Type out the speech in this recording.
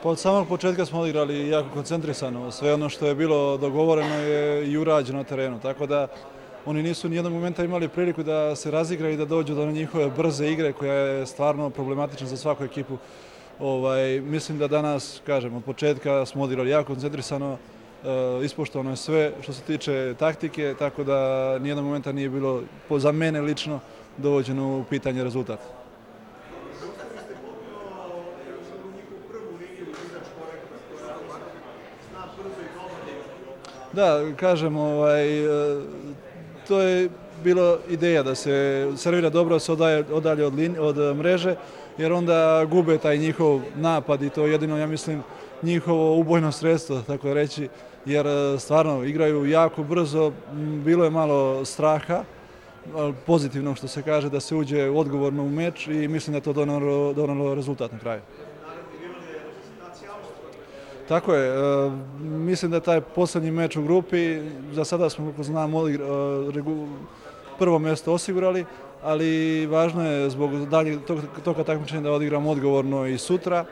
Pa od samog početka smo odigrali jako koncentrisano. Sve ono što je bilo dogovoreno je i urađeno na terenu. Tako da oni nisu ni jednog momenta imali priliku da se razigraju i da dođu do njihove brze igre koja je stvarno problematična za svaku ekipu. Mislim da danas, kažem, od početka smo odigrali jako koncentrisano, ispoštovano je sve što se tiče taktike, tako da nijednog momenta nije bilo, za mene lično, dovođeno u pitanje rezultat. Da, kažem, to je bila ideja da se servira dobro, da se odalje od mreže, jer onda gube taj njihov napad i to je jedino, ja mislim, njihovo ubojno sredstvo, tako reći, jer stvarno igraju jako brzo, bilo je malo straha, pozitivno što se kaže, da se uđe odgovorno u meč i mislim da je to donalo rezultat na kraju. Tako je, mislim da je taj poslednji meč u grupi, za sada smo, kako znam, prvo mjesto osigurali, ali važno je zbog daljeg toga takmičenja da odigramo odgovorno i sutra.